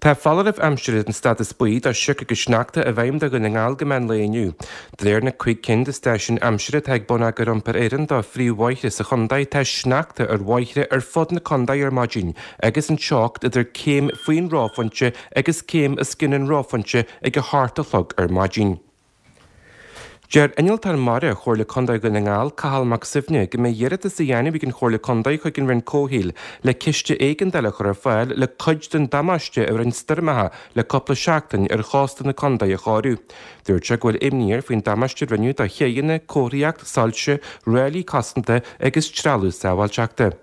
Tá foláireamh aimsire den stádas buí do shioc agus sneachta i bhfeidhm do Dhún na nGall go meán lae inniu. De réir na 5 cinn de stáisiúin aimsire atá ag Bonneagar Iompair Éireann do phríomhbhóithre sa chontae, tá sneachta ar bhóithre ar fud na contae ar maidin agus an teocht idir céim faoin reophointe agus céim os cionn an reophointe ag a hocht a chlog ar maidin. Deir Innealtóir Mara Chomhairle Contae Dhún na nGall, Cathal Mac Suibhne, go mbeidh iarratas á dhéanamh ag an Chomhairle Contae chuig an Roinn Comhshaoil le ciste éigeandála a chur ar fáil le cuid den damáiste a rinne stoirmeacha le cúpla seachtain ar chósta na contae a chóiriú. Dúirt sé go bhfuil imní air faoin damáiste a rinneadh do chéidheanna, comharthaíocht, soilse, ráillí cosanta agus trealamh sábháilteachta.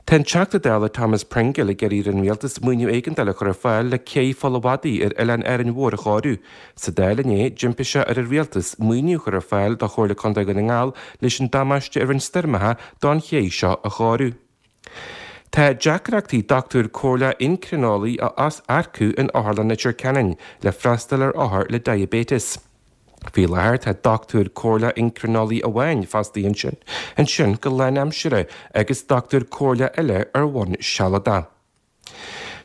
Tá an Teachta Dála Thomas Pringle ag iarraidh ar an Rialtas maoiniú éigeandála a chur ar fáil le cé Pholl a' Mhadaidh ar Oileán Árainn Mhór a chóiriú. Sa Dáil inné, d'impigh sé ar an Rialtas maoiniú a chur ar fáil do Chomhairle Contae Dhún na nGall leis an damáiste a rinne stoirmeacha don ché seo a chóiriú. Tá deacrachtaí dochtúir comhairleach eincrineolaí a earcú in Otharlann Leitir Ceanainn le freastal ar othair le diaibéiteas. Faoi láthair tá dochtúir comhairleach eincrineolaí amháin fostaithe ansin ansin go lánaimseartha agus dochtúir comhairleach eile ar bhonn sealadach.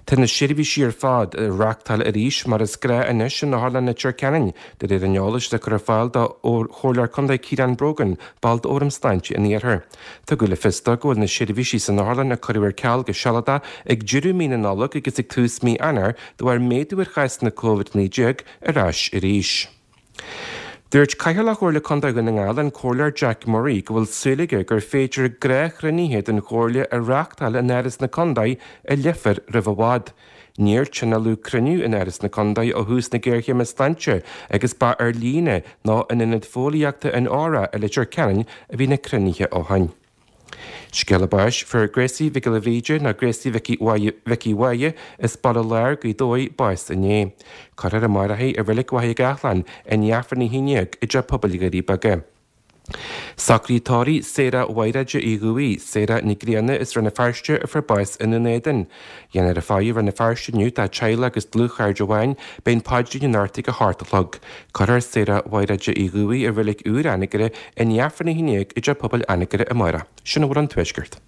Tá na seirbhísí ar fad á reáchtáil arís mar is gnáth anois in Otharlann Leitir Ceanainn, de réir an eolais atá curtha ar fáil do Chomhairleoir Contae Ciarán Brogan, ball d'Fhóram Sláinte an Iarthair. Tugadh le fios dó go bhfuil na seirbhísí san otharlann a cuireadh ar ceal go sealadach ag deireadh mí na Nollag agus ag tús mí Eanáir de bharr méadú ar chásanna Covid-19 ar ais arís. Dúirt Cathaoirleach Chomhairle Contae Dhún na nGall, an Comhairleoir Jack Murray, go bhfuil súil aige gur féidir gnáthchruinnithe den Chomhairle a reáchtáil in Áras na Contae i Leifear roimh i bhfad. Níor tionóladh cruinniú in Áras na Contae ó thús na géarchéime sláinte agus ba ar líne nó in Ionad Fóillíochta an Óra i Leitir Ceanainn a bhí na cruinnithe ó shin. Scéala báis, Fuair Gracie Mhic Giolla Bhríde nó Gracie Mhicí Mhicí Mháille as Baile Láir, Gaoth Dobhair, bás inné. Cuirfear amárach í i Reilig Mhachaire Gathlán i ndiaidh Aifreann 11 i dTeach Pobail Dhoirí Beaga. Socruithe tórraimh Sarah Mhaighréide Uí Dhubhaigh, Sarah Nic Grianna as Rann na Feirste a fuair bás i nDún Éideann. Déanfar faire i Rann na Feirste inniu dá teaghlach agus dlúthchairde amháin, beidh an paidrín anocht ag a hocht a chlog. Cuirfear Sarah Mhaighréide Uí Dhubhaigh i reilig úr Anagaire i ndiaidh Aifreann 11 i dTeach Pobail Anagaire amárach. Sin a bhfuil ón Tuaisceart.